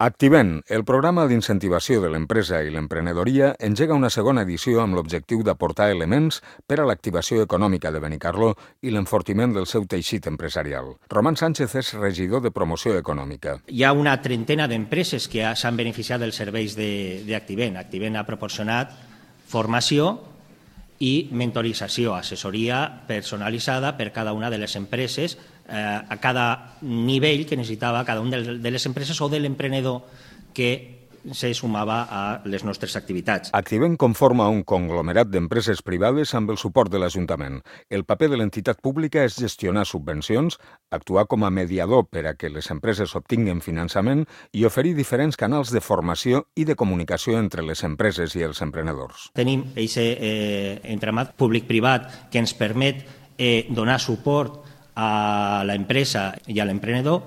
Activent, el programa d'incentivació de l'empresa i l'emprenedoria, engega una segona edició amb l'objectiu d'aportar elements per a l'activació econòmica de Benicarló i l'enfortiment del seu teixit empresarial. Román Sánchez és regidor de promoció econòmica. Hi ha una trentena d'empreses que s'han beneficiat dels serveis d'Activent. Activent ha proporcionat formació i mentorització, assessoria personalitzada per cada una de les empreses a cada nivell que necessitava cada una de les empreses o de l'emprenedor que se sumava a les nostres activitats. Activent conforma un conglomerat d'empreses privades amb el suport de l'Ajuntament. El paper de l'entitat pública és gestionar subvencions, actuar com a mediador per a que les empreses obtinguen finançament i oferir diferents canals de formació i de comunicació entre les empreses i els emprenedors. Tenim aquest entramat públic-privat que ens permet donar suport a l'empresa i a l'emprenedor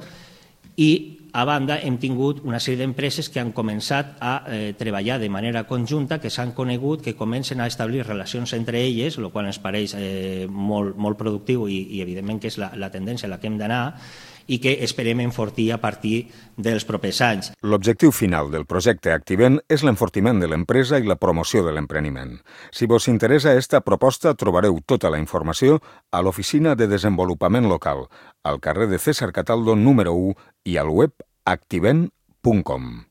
i, a banda, hem tingut una sèrie d'empreses que han començat a treballar de manera conjunta, que s'han conegut, que comencen a establir relacions entre elles, el qual ens pareix molt productiu i evidentment que és la tendència a la que hem d'anar i que esperem enfortir a partir dels propers anys. L'objectiu final del projecte Activent és l'enfortiment de l'empresa i la promoció de l'empreniment. Si vos interessa esta proposta, trobareu tota la informació a l'Oficina de Desenvolupament Local, al carrer de César Cataldo número 1 i al web activent.com.